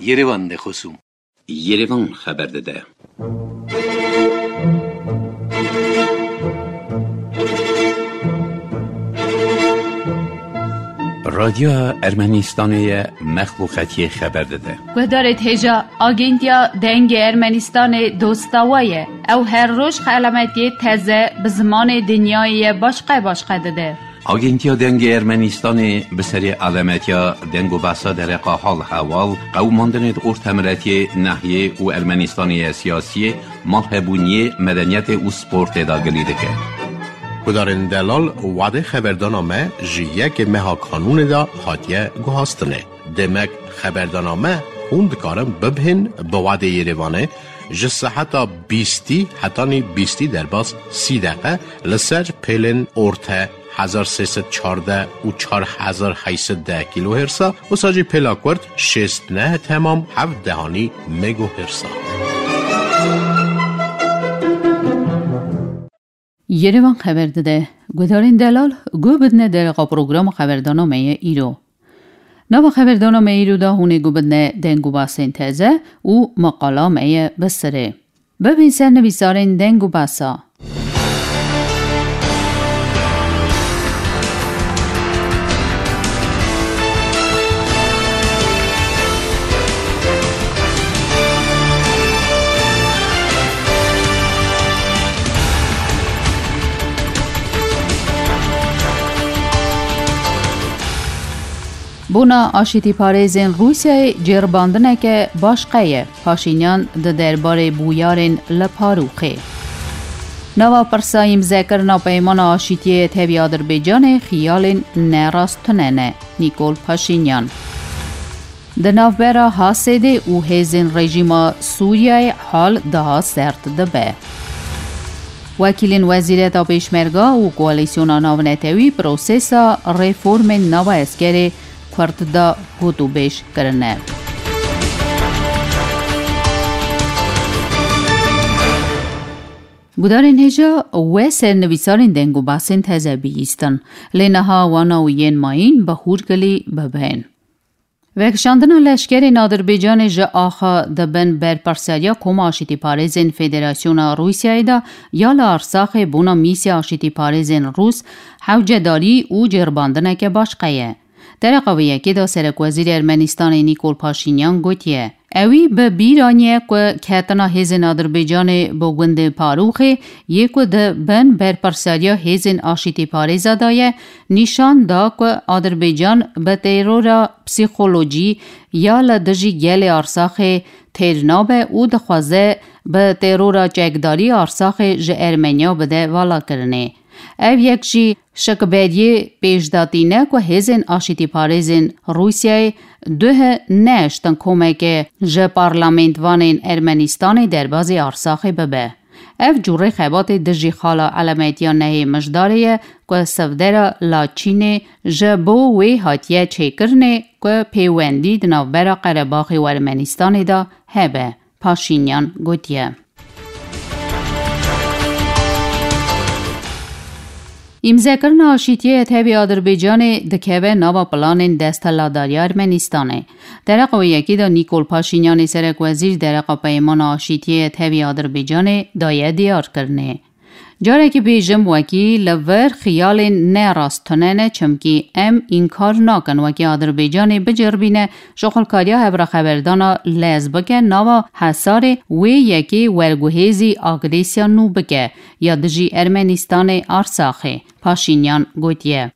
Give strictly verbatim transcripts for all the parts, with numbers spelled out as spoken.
Yerevan de xosûm. Yerevan xeber dide. Radyoya Ermenistanê ye mexluqetiyê xeber dide. Guhdarê hêja Agentiya Dengê Ermenistanê dosta we ye. Ew her roj xelametiyê teze bi zimanê dinyayê ye başqe başqe dide. Agentiya Dengê Ermenistanê bi serê alametiya deng û behsa dereqa hal heval, qewimandinê di ortemiletiyê, nehiyê û Ermenistanê ye siyasiyê, malhebûniyê, medeniyetê û sportê de gilî dike. Gudarên delal, wadê xeberdana me ji yekê meha kanûnê de hatiye guhastinê. Demek xeberdana me hûn dikarin bibihên bi wadê Yerevanê ji seheta bîstî hetanî bîstî derbas sî deqe li ser pêlên orte hezar sê sed çardeh û çar hezar heyt sed deh kilohertsa, wisa jî pêla kurt şêst neh temam heft dehanî megohertsa. Yerevan xeber dide. Guhdarên delal, guh bidine dereqa programa xeberdana me ye îro. Nava xeberdana me îro de hûnê guh bidine deng û basên teze û maqala me ye bi sirê. Bibin ser nivîsarên deng û basa. Bona aşîtîparêzên Rûsyayê cêribandineke başqe ye, Paşînyan di derbarê bûyarên li Parûxê. Nava pirsa îmzekirina Peymana Aşîtiyê tevî Adirbaycanê xiyalên nerast tune ne, Nîkol Paşînyan. Di navbera Hasedê û hêzên rejîma Sûriyeyê hal daha sert dibe. Wekîlên Wezîreta Pêşmerga û Koalîsyona Navnetewî prosesa reformên nava eskerê Kurd de gotûbêj kirine. Gudarên hêja we ser nivîsarên deng û basên teze bihîstin. Lê niha wana û yên mayîn bi hûrgilî bibin. Vekişandina leşkerên Adirbaycanê ji axa di bin berpirsiyariya Koma Aşîtîparêzên Federasyona Rûsyayê de ya li Arsaxê bona mîsya aşîtîparêzên Rûs hewcedarî û cêribandineke başqe ye. Dereqa vê yekê de Serekwezîrê Ermenistanê Nîkol Paşînyan gotiye, ewî bi bîr aniye ku ketina hêzên Adirbaycanê bo gundê Parûxê yê ku di bin berpirsiyariya hêzên aşîtîparêza de ye, nîşan da ku Adirbaycan bi terora psîkolojî ya li dijî gelê Arsaxê têr nabe û dixwaze bi terora çekdarî Arsaxê ji Ermeniya bide valakirinê. Ev yek jî şikberiyê pêşdatî ne ku hêzên aşîtîparêzên Rûsyayê duh neeştin komeke ji parlamentvanên Ermenistanê derbazî Arsaxê bibe. Ev cûrê xebatê dijî xala elametiya nehê Mijdarê ye ku sivdera Laçînê ji bo wê hatiye çêkirinê ku pêwendî di navbera Qerebaxê û Ermenistanê de hebe, Paşînyan gotiye. Îmzekirina aşîtiyê tevî Adirbaycanê dikeve nava planên desthilatdariya Ermenistanê. Dereqa wê yekê de Nîkol Paşînyanê serekwezîr dereqa peymana aşîtiyê tevî Adirbaycanê daye diyarkirinê. Carekî bêjim wekî li vir xiyalên ne rast tune ne, çimkî em înkar nakin wekî Adirbaycanê biceribîne şixulkariya hevraxeberdana lez bike nava hesarê wê yekê werguhêzî agresiya nû bike ya dijî Ermenistanê Arsaxê, Paşînyan gotiye.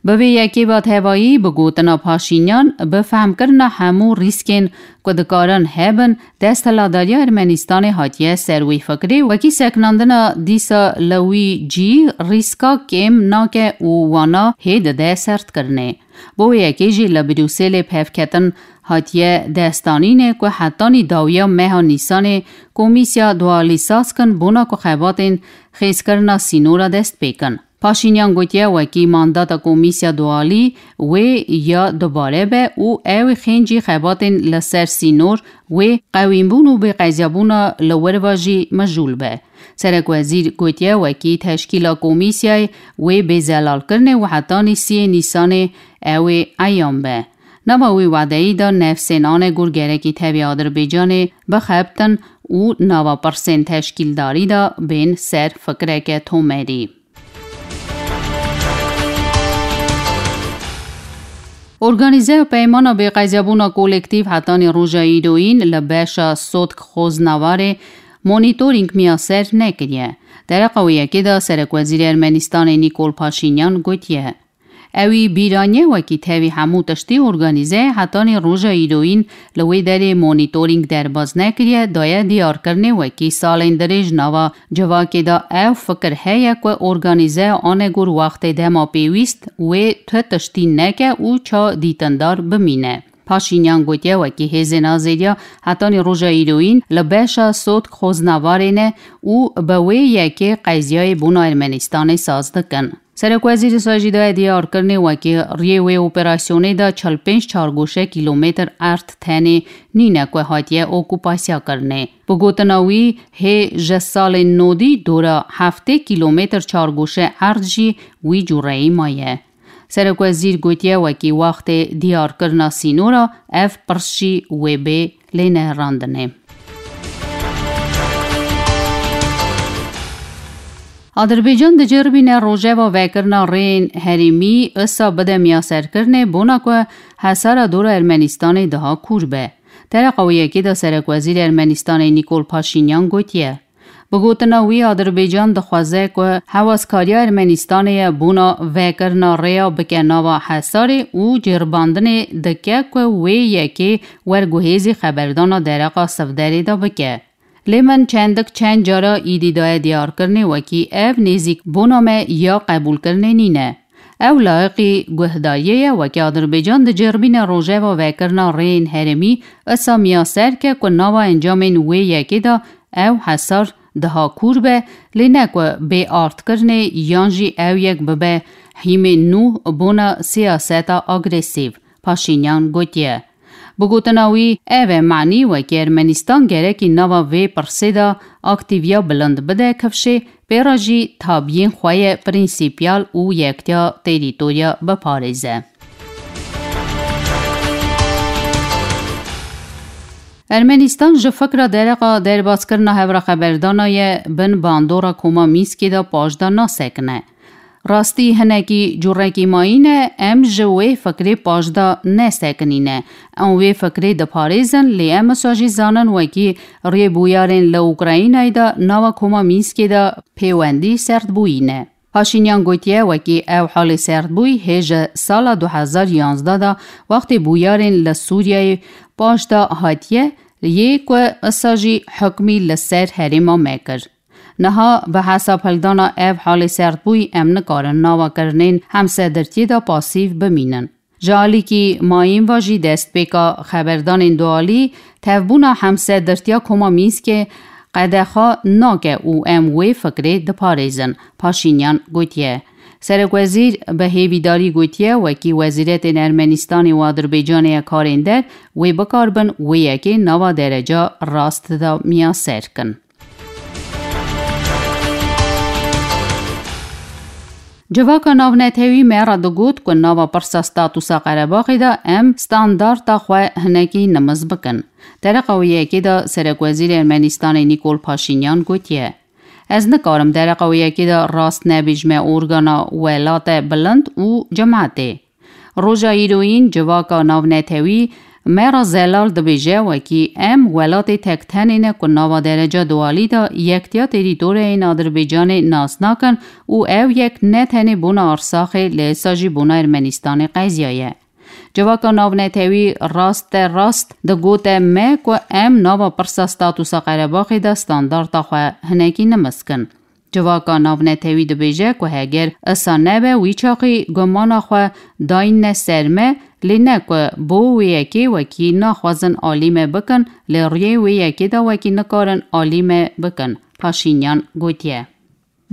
Bi vê yekê ve tevayî bi gotina Paşînyan, bi fehmkirina hemû rîskên ku dikarin hebin, desthilatdariya Ermenistanê hatiye ser wî fikrê, wekî seknandina dîsa li wî cî rîska kêm nake û wana hê dide sertkirinê. Bo wê yekê jî li Brûselê pevketin hatiye destanînê ku hetanî dawiya meha Nîsanê komîsya dualî saz kin bona ku xebatên xêzkirina sînora dest pê kin. Paşînyan gotiye, wekî mandata komîsya dualî wê ya dubare be û ew ê xêncî xebatên li ser sînor wê qewînbûn û bêqeziyabûna li wir ve jî mijûl be. Serekwezîr gotiye, wekî teşkîla komîsyayê wê bê zelalkirinê û hetanî siyê Nîsanê ew ê eyan be. Nava wî wadeyî de nefsên Anegor gerekî tevî Adirbaycanê bixebtin û nava pirsên teşkîldarî de bên ser fikreke tomerî. Organîzeya Peymana Bêqezyabûna Kolektîf hetanî roja îroyîn li beşa Sotk Xoznavarê monîtorîng miyaser nekiriye. Dereqa wê yekê de Serekwezîrê Ermenistanê Nîkol Paşînyan gotiye, ewî bîraniye wekî tevî hemû tiştî organîzeye hetanî roja îroyîn li wê derê monîtorîng derbas nekiriye, daye diyarkirinê wekî salên dirêj nava civakê de ew fikir heye ku organîzeya Anegor wextê dema pêwîst wê tu tiştî neke û ça dîtindar bimîne. Paşînyan gotiye wekî hêzên azêdiya hetanî roja îroyîn li beşa Sotk Xoznavarê ne û bi wê yekê qezyayê bûna Ermenistanê saz dikin. Serokwezîrê Sajî daye diyarkirinê wekî riyê wê operasyonê de çil pênc çargoşe kîlometr erd tenê nîne ku hatiye okupasya kirinê. Bi gotina wî, hê ji salên nodî dora heftê kîlometr çargoşe erd jî wî cûreyî maye. Serokwezîr gotiye, wekî wextê diyarkirina sînora ev pirs jî wê bê lênerandinê. Adirbaycan diceribîne rojeva vekirina rêyên herêmî isa bide miyaserkirinê bona ku hesara dora Ermenistanê daha kûr be. Dereqa wê yekê de Serokwezîrê Ermenistanê Nîkol Paşînyan gotiye, bi gotina wî, Adirbaycan dixwaze ku hewazkariya Ermenistanê ye bona vekirina rêya bike nava hesarê û ceribandinê dike ku wê yekê werguhêzî xeberdana dereqa Sivderê de bike. Lê min çendik çend cara îdî daye diyarkirinê wekî ev nêzîk bona me ya qebûlkirinê nîne. Ew layiqî guhdariyê ye, wekî Adirbaycan diceribîne rojeva vekirina rêyên herêmî isa miyaser ke ku nava encamên wê yekê de ew hesar daha kûr be, lê ne ku bê ardkirinê yan jî ew yek bibe hîmê nû bona siyaseta agresîv, Paşînyan gotiye. Bi gotina wî, ev e manî wekî Ermenistan gerekî nava vê pirsê de aktîviya bilind bide kifşê, pê re jî tabiyên xwe yê prensîpyal û yektiya terîtorya biparêze. Ermenistan ji fikra dereqa derbaskirina hevra xeberdana ye bin bandora Koma Mînskê de paş de nasekine. Rastî hinekî cûrekî mayîn e, em ji wê fikrê paş de nesekinîne. Em wê fikrê diparêzin, lê em wisa jî zanin wekî rêbûyarên li Ukraynayê de nava Koma Mînskê de pêwendî serdbûyî ne. Paşînyan gotiye, wekî ew halê serdbûyî hê ji sala du hezar yanzdeh de wextê bûyarên li Sûriyeyê paş de hatiye, yê ku wisa jî hukmî li ser herêma me kir. Niha bi hesabhildana ev halê serdbûyî em nikarin nava kirinên hemsedirtiyê de pasîv bimînin. Ji alîkî mayîn ve jî destpêka xeberdanên dualî, tevbûna hemsedirtiya Koma Mînskê qedexa nake û em wê fikrê diparêzin, Paşînyan gotiye. Serokwezîr bi hêvîdarî gotiye, wekî wezîretên Ermenistanê û Adirbaycanê ya karên der wê bikaribin wê yekê nava dereca rast de miyaser kin. Civaka navnetewî me re digot ku nava pirsa statusa Qerebaxê de em standarta xwe hinekî nimiz bikin. Dereqa wê yekê de Serokwezîrê Ermenistanê Nîkol Paşînyan gotiye, ez nikarim dereqa wê yekê de rast nebêjime organa welate bilind û cemaetê. Roja îroyîn civaka navnetewî me re zelal dibêje, wekî em welatê tektenê ne ku nava dereca dualî de yektiya terîtoriyên Adirbaycanê nas nakin û ew yek ne tenê bona Arsaxê, lê esa jî bona Ermenistanê qeziya ye. Civaka navnetewî raste rast digote me ku em nava pirsa statusa Qerebaxê de standarta xwe hinekî nimis kin. Civaka navnetewî dibêje ku heger isa nebe, wî çaxî gumana xwe dayîne ser me, lê ne ku bo wê yekê wekî naxwazin alî me bikin, lê riyê wê yekê de wekî nikarin alî me bikin, Paşînyan gotiye.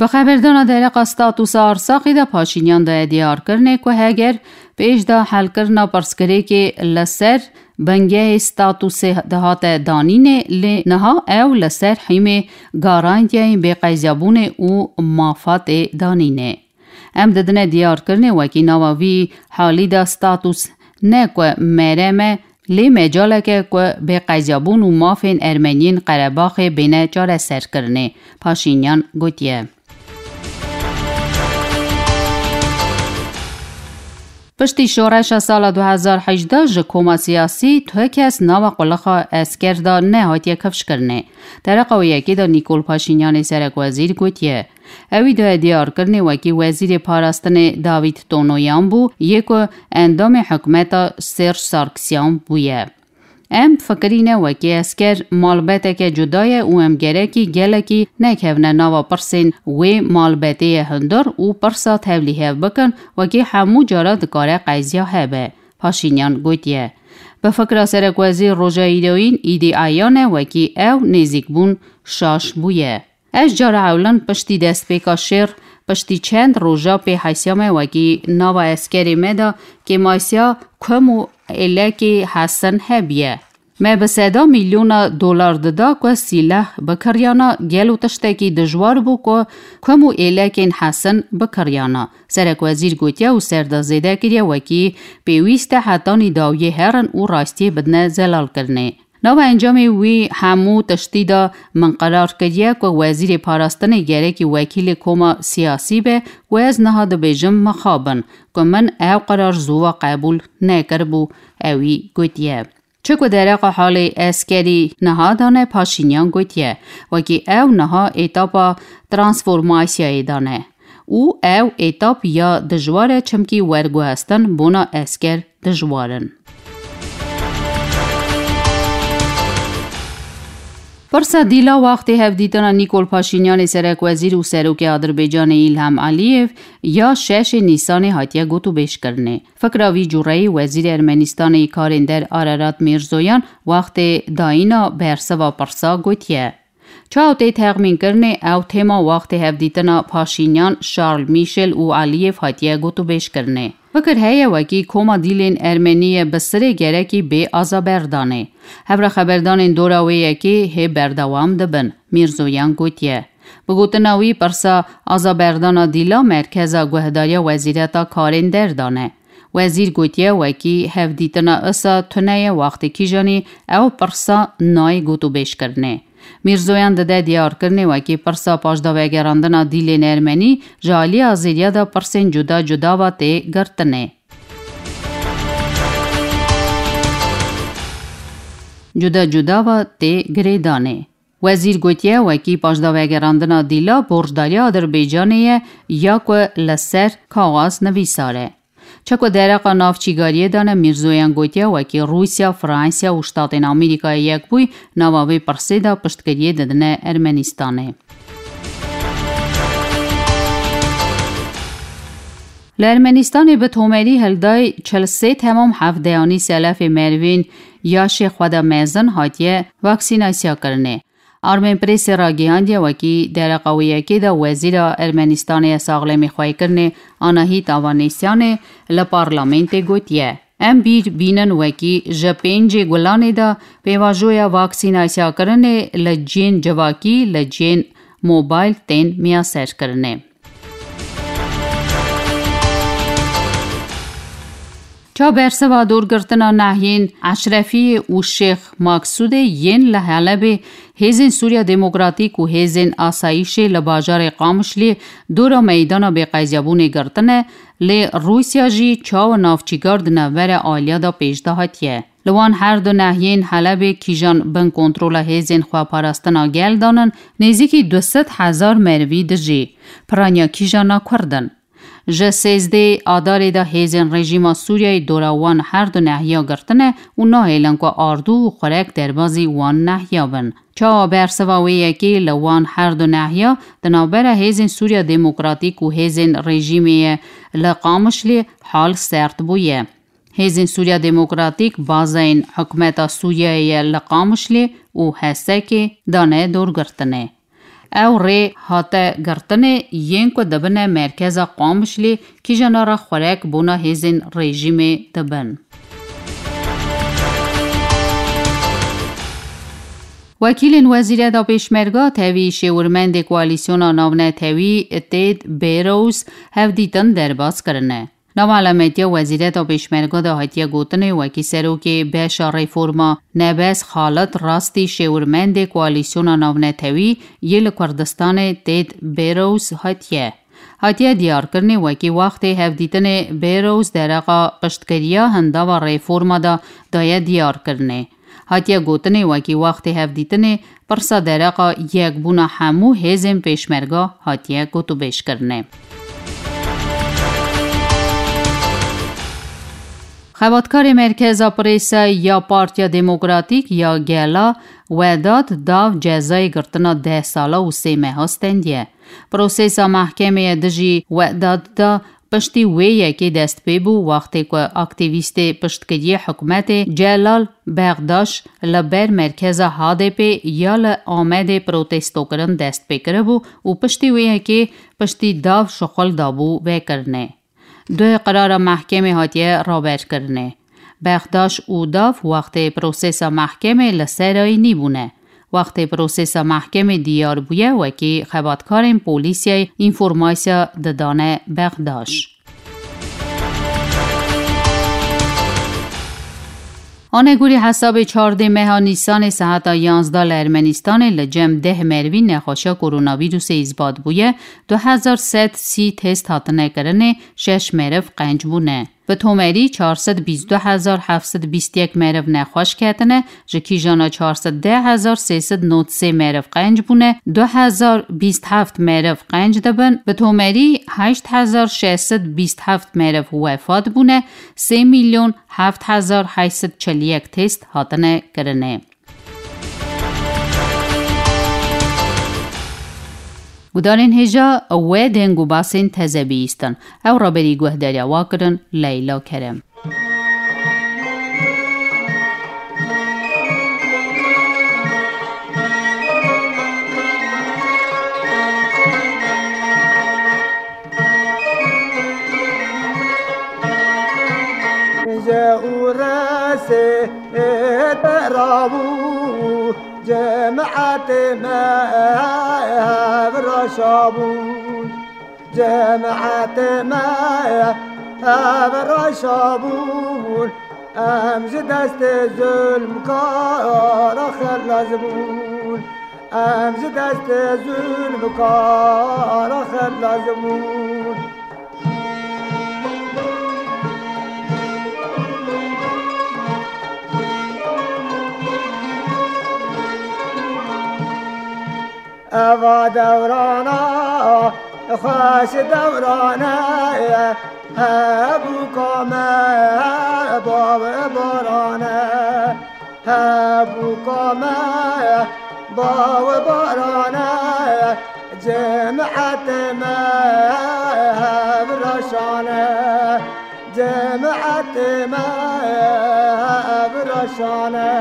Bi xeberdana dereqa statusa Arsaxê de Paşînyan daye diyarkirinê ku heger pêş de helkirina pirsgirêkê li ser bingehê statusê dihate danînê, lê niha ew li ser hîmê garantiyayên bêqezyabûnê û mafatê danînê. Em didine diyarkirinê wekî nava vî halî de status ne ku merem e, lê mecalek e ku bêqezyabûn û mafên Ermeniyên Qerebaxê bêne çareserkirinê, Paşînyan gotiye. Piştî şoreşa sala du hezar hejdeh ji koma siyasî tu kes nava qulixa esker de nehatiye kifşkirinê. Dereqa wê yekê de Nîkol Paşînyanê serekwezîr gotiye, ewî daye diyarkirinê wekî wezîrê parastinê Davîd Tonoyan bû, yê ku endamê hikûmeta Serj Sarkisyan bûye. Em fikirîne wekî esker malbeteke cuda ye û em gerekî gelekî nekevne nava pirsên wê malbetê ye hundir û pirsa tevlîhev bikin, wekî hemû cara dikare qeziya hebe, Paşînyan gotiye. Bi fikra serekwezîr roja îroyîn îdî eyan e wekî ew nêzîkbûn şaş bûye. Ez cara ewlin piştî destpêka şêr, piştî çend roja pê hesya me wekî nava eskerê me de kêmasiya kum û êlekê hesin hebiye. Me bi seda milyona dolar dida ku sîleh bikiryana, gelo tiştekî dijwar bû ku kum û êlekên hesin bikiryana. Serekwezîr gotiye û ser de zêde kiriye wekî pêwîst e hetanî dawiyê herin û rastiyê bidine zelalkirinê. Nava encamê wî hemû tiştî de min qerar kiriye ku wezîrê parastinê gerekî wekîlê koma siyasî be û ez niha dibêjim mixabin ku min ew qerar zû ve qebûl nekiribû, ewî gotiye. Çi ku dereqa halê eskerî niha dane, Paşînyan gotiye, wekî ew niha etapa transformasyayê dane û ew etap ya dijwar e, çimkî werguhestin bona esker dijwar in. Pirsa dîla wextê hevdîtina Nîkol Paşînyanê serekwezîr û serokê Adirbaycanê Îlham Aliyev ya şeşê Nîsanê hatiye gotûbêjkirinê. Fikra vî cureyî Wezîrê Ermenistanê yî Karên Der Ararat Mîrzoyan wextê dayîna bersiva pirsa gotiye. Çawa tê texmînkirinê ew têma wextê hevdîtina Paşînyan, Charles Michel û Aliyev hatiye gotûbêjkirinê. Fikir heye wekî koma dîlên Ermenî ye bi sirê gerekî bê azaberdanê. Hevre xeberdanên dora wê yekê hê berdewam dibin, Mîrzoyan gotiye. Bi gotina wî, pirsa azaberdana dîla merkeza guhdariya Wezîreta Karên Der de ne. Wezîr gotiye wekî hevdîtina isa tune ye, wextê kîjanî ew pirsa nayê gotûbêjkirinê. Mîrzoyan dide diyarkirinê wekî pirsa paşdavegerandina dîlên Ermenî ji alî Azêriya de pirsên cuda cuda ve tê girtinê. Cuda cuda ve tê girêdanê. Wezîr gotiye, wekî paşdavegerandina dîla borcdariya Adirbaycanê ye ya ku li ser kaxaz nivîsar e. Çeko dereqa navçîgariyê de ne, Mîrzoyan gotiye, wekî Rûsya, Fransiya û Ştatên Amerîkayê Yekbûyî nava vê pirsê de piştgiriyê didine Ermenistanê. Li Ermenistanê bi tomerî hildayî çil sê temam hevdeyanî selefê merivên yaşê xwe de mezin hatiye vaksînasyakirinê. Armenpressê ragihandiye, wekî dereqa wê yekê de Wezîra Ermenistanê ya Saxlemîxweykirinê Anahît Avanesyanê li parlamentê gotiye, em bîr bînin wekî ji pêncê Gulanê de pêvajoya vaksînasyakirinê li cihên civakî, li cihên mobayl tên miyaserkirinê. Ça bersiva dorgirtina nehiyên Eşrefiyê û Şêx Maksûdê yên li Helebê hêzên Sûriya Demokratîk û hêzên asayîşê li bajarê Qamişliyê dora meydana bêqezyabûnê girtine, lê Rûsya jî çawa navçîkar di navbera aliya de pêş de hatiye. Li wan her du nehiyên Helebê kîjan bin kontrola hêzên xweparastina gel danin, nêzîkî du sed hezar merivî dijî. Piraniya kîjana Kurd in. Ji sêzdê Adarê de hêzên rejîma Sûriyeyê dora wan her du nehiya girtine û nahêlin ku ardû û xurek derbazî wan nehiya bin. Çawa bersiva wê yekê li wan her du nehiya di navbera hêzên Sûriya Demokratîk û hêzên rejîmê ye li Qamişlê hal sert bûye. Hêzên Sûriya Demokratîk bazeyên hikûmeta Sûriyeyê ye li Qamişlê û Hesekê dane dorgirtinê. Ew rê hate girtinê yên ku dibine merkeza Qamişlê kîjana re xurek bona hêzên rejîmê dibin. Wekîlên Wezîreta Pêşmerga tevî şêwirmendê Koalîsyona Navnetewî Ted Barrows hevdîtin derbas kirine. Nava elametiya Wezîreta Pêşmerga de hatiye gotinê, wekî serokê beşa reforma Nebes Xalit rastî şêwirmendê Koalîsyona Navnetewî yê li Kurdistanê Ted Barrows hatiye. Hatiye diyarkirinê, wekî wextê hevdîtinê Barrows dereqa piştgiriya hindava reforma de daye diyarkirinê. Hatiye gotinê, wekî wextê hevdîtinê pirsa dereqa yekbûna hemû hêzên pêşmerga hatiye gotûbêjkirinê. Xebatkarê Merkeza Prêse ya Partiya Demokratîk ya Gela Wedat Dav cezayê girtina deh sala û sê meha stendiye. Prosesa mehkemê dijî Wedat da piştî wê yekê dest pê bû, wextê ku aktîvîstê piştgiriyê hikûmetê Celal Bexdaş li ber merkeza H D P ya li Amedê protestokirin dest pê kiribû û piştî wê yekê piştî Dav şixul dabû vekirinê. Duhê qirara mehkemê hatiye raberkirinê. Bexdaş û Dav wextê prosesa mehkemê li serayî nîbûne. Wextê prosesa mehkemê diyar bûye, wekî xebatkarên polîsiyê înformasiya didane Bexdaş. Anegorî hesabê çardê meha Nîsanê saeta yanzdeh li Ermenîstanê li cem deh merivî nexweşiya koronavîrusê îsbat bûye, du hezar sed sî test hatine kirinê, şeş meriv qenc bûne. Bi tomerî çar sed bîst du hezar heft sed bîst yek meriv nexweş ketine, ji kîjana çar sed deh hezar sê sed nod sê meriv qenc bûne, du hezar bîst heft meriv qenc dibin, bi tomerî heşt hezar şeş sed bîst heft meriv wefat bûne, sê milyon heft hezar heşt sed çil yek test hatine kirinê. Gudarên hêja we deng û basên teze bihîstin. Ew raberî guhdariya wa kirin Leyla Kerem. Ji û resê rabû, cemaetê me hev raşabûn. Cemaetê me hev raşabûn. Em ji destê zulmkara xelas bûn. Em ji destê zulmkara xelas bûn. Eva dewrana, xweş dewrane, hebûka me, bav barane. Hebûka me, bav barane, cemaetê me hev raşane, cemaetê me hev raşane.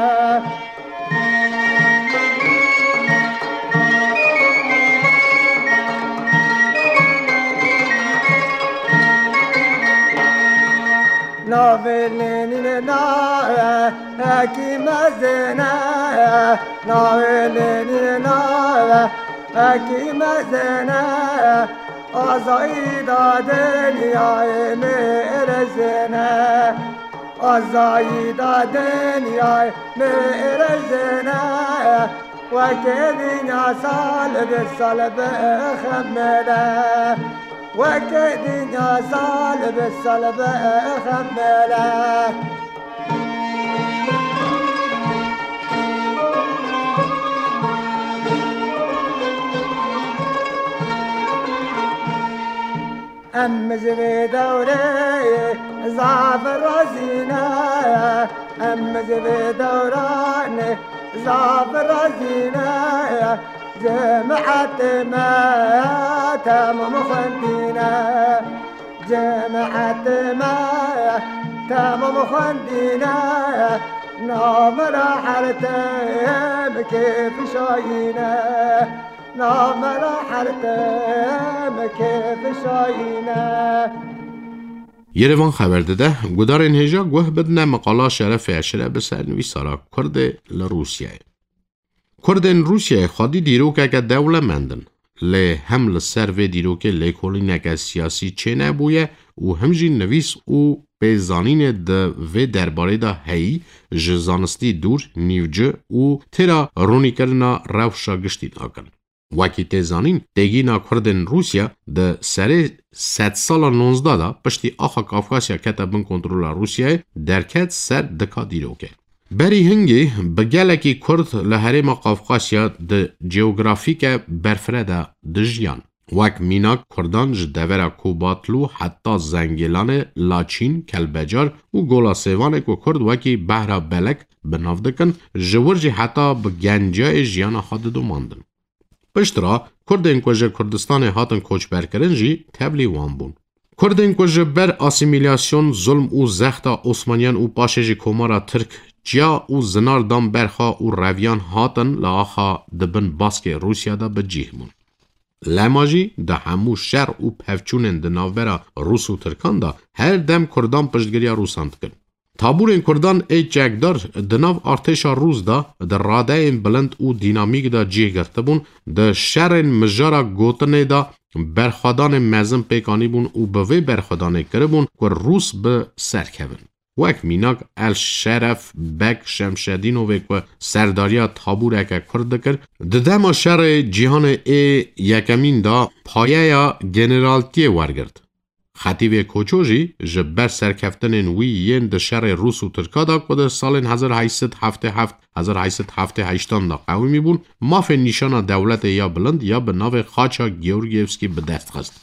Navê Lenînê navekî mezin e, navê Lenînê navekî mezin e, azayî da dinyayê mêrezin e, azayî da dinyayê mêrezin e. Weke dinya sal bi sal bixemile. Weke dinya sal bi sal bixemile. Em ji vê dewrê zaf razî ne, em ji vê dewranê zaf razî ne. Cemaetê me temam xwendî ne, cemaetê me temam xwendî ne. Navmera her tim kêf şayî ne. Navmera her tim kêf şayîne. Yerevan xeber dide, gudarên hêja guh bidine miqala Şerefê Eşref bi sernivîsara Kurdê li Rûsyayê. Kurdên Rûsyayê xwedî dîrokeke dewlemend in, lê hem li ser vê dîrokê lêkolîneke siyasî çênebûye û him jî nivîs û pêzanînê di vê derbarê de heyî ji zanistî dûr, nîvci û têra ronîkirina rewşa giştî nakin. Wekî tê zanîn, têgîna Kurdên Rûsya di serê sedsala nonzdeh de piştî axa Kafkasya kete bin kontrola Rûsyayê, derket ser dika dîrokê. Berî hingê bi gelekî Kurd li herêma Kafkasya di cewgrafîke berfireh de dijiyan. Wek mînak Kurdan ji devera Kobatlû heta Zengêlanê, Laçîn, Kelbecar û Gola Sêvanê ku Kurd wekî behra belek bi nav dikin, ji wir jî heta bi genciyayê jiyana xwe didomandin. Piştre Kurdên ku ji Kurdistanê hatin koçberkirin jî tevlî wan bûn. Kurdên ku ji ber asîmîlasyon, zulm û zexta Osmaniyan û paşê jî Komara Tirk ciya û zinar dan ber xwe û reviyan hatin li axa di bin baskê Rûsya de bi cîh bûn. Lema jî di hemû şer û pevçûnên di navbera Rûs û Tirkan de her dem Kurdan piştgiriya Rûsan dikin. Tabûrên Kurdan ê çekdar di nav artêşa Rûs de di radeyên bilind û dînamîk de cih girtibûn, di şerên mijara gotinê de berxwedanên mezin pêk anîbûn û bi vê berxwedanê kiribûn ku Rûs bi ser kevin. Wek mînak El Şeref Beg Şemşedînovê ku serdariya tabûreke Kurd dikir, di dema şerê cîhanê ê yekemîn de payeya generaltiyê wergirt. Xetîbê Koço jî ji ber serkeftinên wî yên di şerê Rûs û Tirka de ku di salên hezar heyşt sed heftê heft, hezar heyşt sed heftê heştan de qewimî bûn, mafê nîşana dewletê ya bilind ya bi navê Xaça Georgievskî bi dest xist.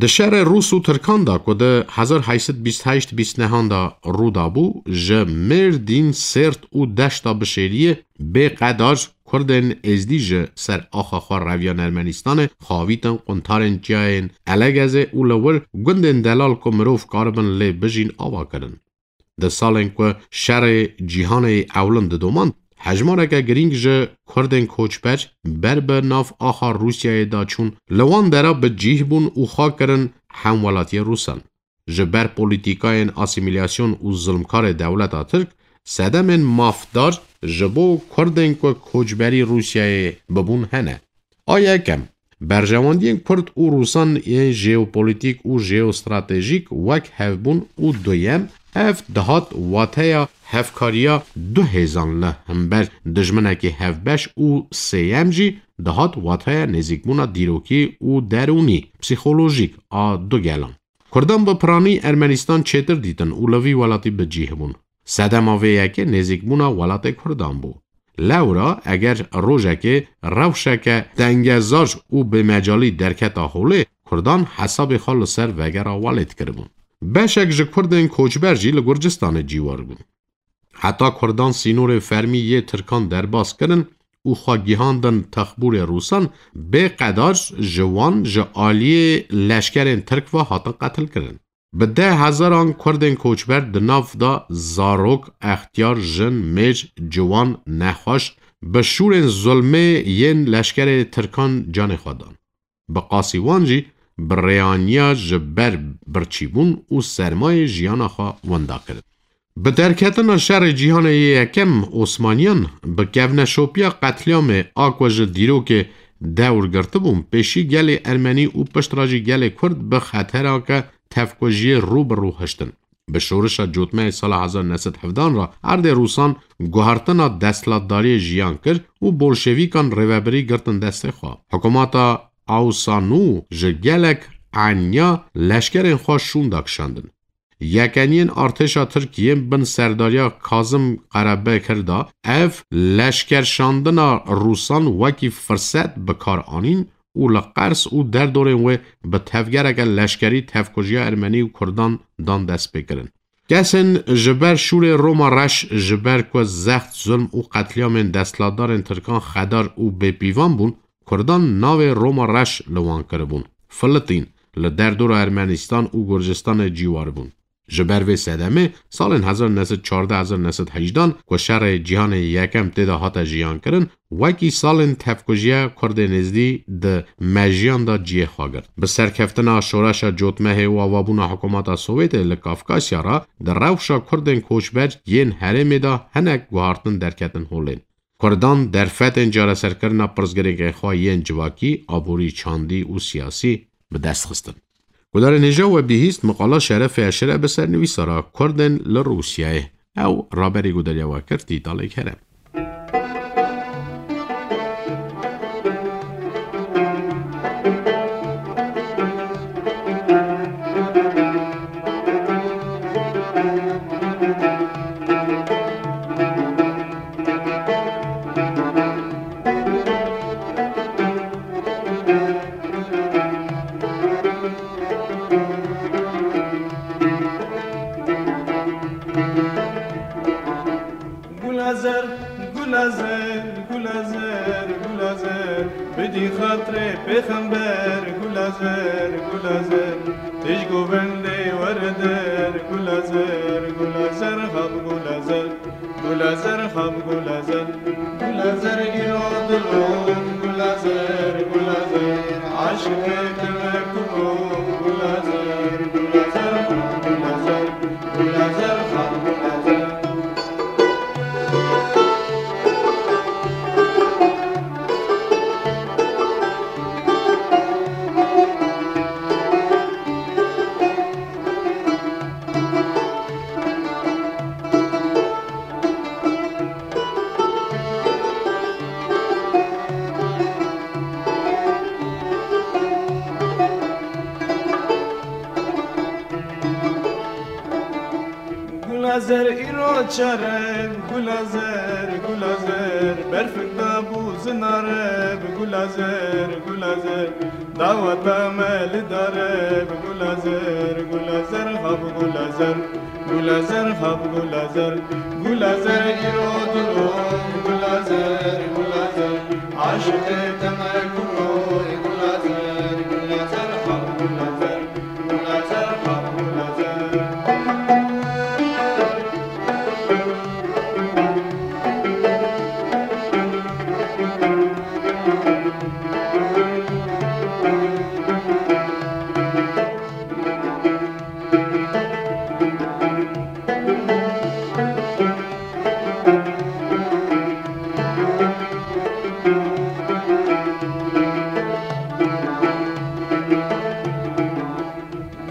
Di şerê Rûs û Tirkan de ku di hezar heyşt sed bîst heşt bîst nehan de rû dabû, ji Mêrdîn, Sêrt û Deşta Bişêriyê bê qedar Kurdên Êzdî ji ser axa xwe reviyan Ermenîstanê, xavîtin quntarên çiyayên Elegezê û li wir gundên delal ku mirov karibin lê bijîn ava kirin. Di salên ku şerê cîhanê ewlin didomand, hejmareke girîng ji Kurdên koçber ber bi nav axa Rûsyayê de çûn, li wan dera bi cîh bûn û xwe kirin hemwelatiyê Rûsan. Ji ber polîtîkayên asîmîlasyon û zilmkarê dewleta Tirk, sedemên mafdar ji bo Kurdên ku koçberî Rûsyayê bibûn hene. A yekem, berjewendiyên Kurd û Rûsan yên jeopolîtîk û jeostratejîk wek hevbûn û duyem, ev dihat wateya hevkariya du hêzan li hember dijminekî hevbeş û sêyem jî dihat wateya nêzîkbûna dîrokî û derûnî, psîkolojîk a du gelan. Kurdan bi piranî Ermenîstan çêtir dîtin û li vî welatî bi cîh bûn. Sedema vê yekê nêzîkbûna welatê Kurdan bû. Lewra eger rojekê rewşeke dengezar û bêmecalî derketa holê, Kurdan hesabê xwe li ser vegera welê dikiribûn. Beşek ji Kurdên koçber jî li Gurcistanê cîwar bûn. Heta Kurdan sînorê fermî yê Tirkan derbas kirin û xwe gihandin texbûrê Rûsan, bê qedar ji wan ji aliyê leşkerên Tirk ve hatin qetilkirin. Bi deh hezaran Kurdên koçber di nav de zarok, extiyar, jin, mêr, ciwan, nexweş bi şûrên zulmê yên leşkerê Tirkan canê xwe dan. Bi qasî wan jî bi rêaniya ji ber birçîbûn û sermayê jiyana xwe winda kirin. Bi derketina şerê cîhanê yê yekem Osmaniyan, bi kevneşopiya qetlîamê a ku ji dîrokê dewr girtibûn, pêşî gelê Ermenî û piştre jî gelê Kurd bi xetereke tevkujiyê rû bi rû hiştin. Bi şorişa cotmehê sala hezar neh sed hevdan re erdê Rûsan guhertina desthilatdariyê jiyan kir û bolşevîkan rêvebirî girtin destê xwe. Hikûmeta Awsanû ji gelek eniya leşkerên xwe şûnda kişandin. Yekeniyên artêşa Tirk yên bin serdariya Kazim Karabekir de ev leşkerşandina Rûsan wekî firset bi kar anîn û li Qers û derdorên wê bi tevgereke leşkerî tevkujiya Ermenî û Kurdan dan destpêkirin. Kesên ji ber şûrê Roma Reş, ji ber ku zext, zulm û qetlîamên desthilatdarên Tirkan xedar û bêpîvan bûn, Kurdan navê Roma Reş li wan kiribûn. Filitîn, li derdora Ermenîstan û Gurcistanê cîwar bûn. Ji ber vê sedemê, salên hezar neh sed çardeh hezar neh sed hejdan ku şerê cîhanê yekem tê de hate jiyankirin, wekî salên tevkujiya Kurdên Êzdî di mejiyan de cihê xwe girt. Bi serkeftina şoreşa cotmehê û avabûna hikûmeta Sowêtê li Kafkasya re, di rewşa Kurdên koçber yên herêmê de hinek guhartin derketin holê. Kurdan derfetên çareserkirina pirsgirêkên xwe yên civakî, aborî, çandî û siyasî bi dest xistin. Gudarên hêja we bihîst miqala Şerefê Eşere bi sernivîsara Kurdên li Rûsyayê. Ew raberî gudariya we kir Tîtalê Kerem. Gula zer, gula zer, gula zer, gula zer, bidî xatirê pêxember, gula zer, gula zer, tij govendê were der, gula zer, gula zer, hab gula zer, gula zer, hab gula zer, gula zer, îro dilon, gula zer, gula zer, aşiqê te me kuro, gula zer, gula zer, hab gula zer. Gula zer îro çare, gula zer, gula zer, berfik dabû zinare, gula zer, gula zer, daweta me li dare, gula zer, gula zer, hab gula zer, gula zer, hab gula zer, gula zer, îro dilon, gula zer, gula zer, aşiqê te me kuro, gula zer, gula zer, hab gula zer.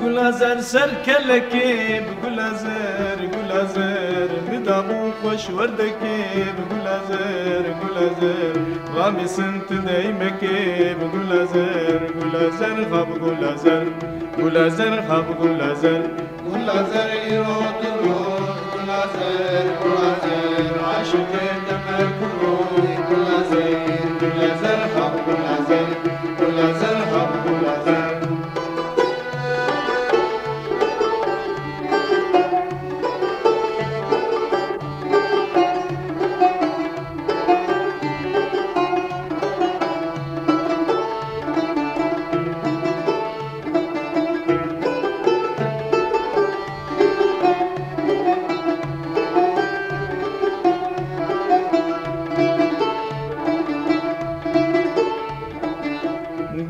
Gula zer ser kelekê bi gula zer, gula zer, bi dabû xweş werdekê bi gula zer, gula zer, ramîsin tu deymekê bi gula zer, gula zer, xab gula zer, gula zer, xab gula zer. Gula zer îro tu roj, gula zer, gula zer, aşiqê te me kuro, gula zer, gula zer, xab gula zer, gula zer, xab gula zer.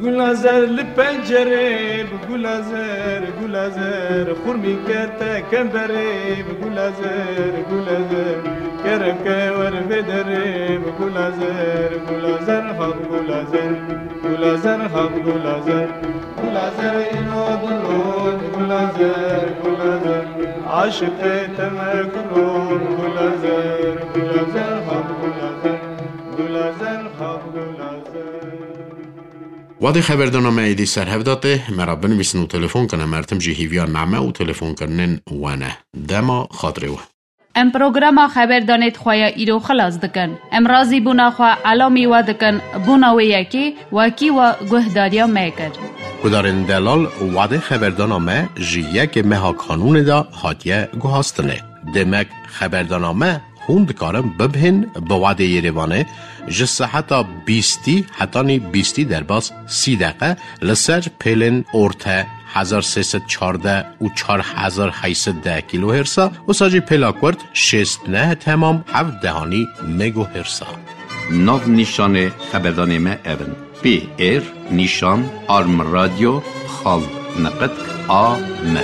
Gula zer li pencerê bi gula zer, gula zer, xurmî kete kemberê bi gula zer, gula zer, kerem ke wer vê derê bi gula zer, gula zer, ha bi gula zer, gula zer, ha bi gula zer, gula zer, îro dilon, gula zer, gula zer, aşiqê te me kulon, gula zer, gula zer, ha bi gula zer, gula zer, ha bi gula zer. Wadê xeberdana me êdî ser hev da tê, me re binivîsin û telefon kin, em her tim jî hîviya name û telefonkirinên we ne. Dema xatirê we. Em programa xeberdanê di xwe ya îro xilas dikin. Em razîbûna xwe elamî we dikin, bona wê yekê wekî we guhdariya me kir. Gudarên delal, wadê xeberdana me ji yekê meha Kanûnê de hatiye guhastinê. Demek xeberdana me hûn dikarin bibihên bi wadê Yerêvanê ji seheta bîstî hetanî bîstî derbas sî deqe li ser pêlên orte hezar sê sed çardeh û çar hezar heyt sed deh kîlohêrsa, wisa jî pêla kurt şêst neh temam heft dehanî megohêrsa. Nav nîşanê xeberdanê me ev in: P R nîşan arm radyo xal niqitk A M.